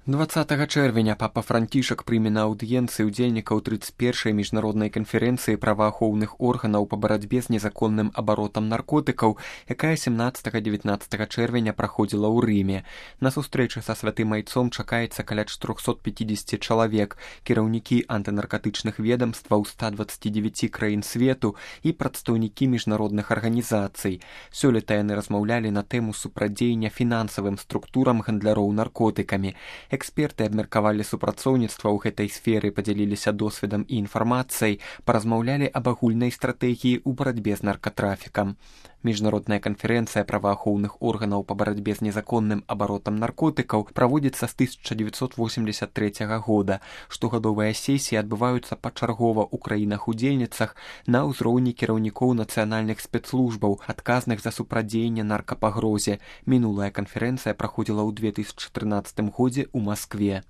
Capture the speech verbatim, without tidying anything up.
дваццатага чэрвеня папа Францішак прыме на аўдыенцыі ўдзельнікаў трыццаць першай міжнароднай канферэнцыі праваахоўных органаў па барацьбе з незаконным абаротам наркотыкаў, якая сямнаццатага-дзевятнаццатага чэрвеня праходзіла ў Рыме. На сустрэчы са святым айцом чакаецца каля чатырохсот пяцідзесяці чалавек, кіраўнікі антынаркатычных ведамстваў ста дваццаці дзевяці краін свету і прадстаўнікі міжнародных арганізацый. Сёлета яны размаўлялі на тэму супрацьдзеяння фінансавым структурам гандляроў наркотыкамі. Эксперты абмеркавалі супрацоўніцтва ў гэтай сферы, падзяліліся досведам і інфармацыяй, паразмаўлялі аб агульнай стратэгіі ў барацьбе з наркатрафікам. Міжнародная канферэнцыя праваахоўных органаў па барацьбе з незаконным абаротам наркотыкаў праводзіцца з тысяча дзевяцьсот восемьдесят трэцяга года. Штогадовыя сесіі адбываюцца пачаргова ў краінах-удзельніцах на ўзроўні кіраўнікоў нацыянальных спецслужбаў, адказных за супрацьдзеянне наркапагрозе. Мінулая канферэнцыя праходзіла ў две тысячы трынаццатым годзе ў Маскве.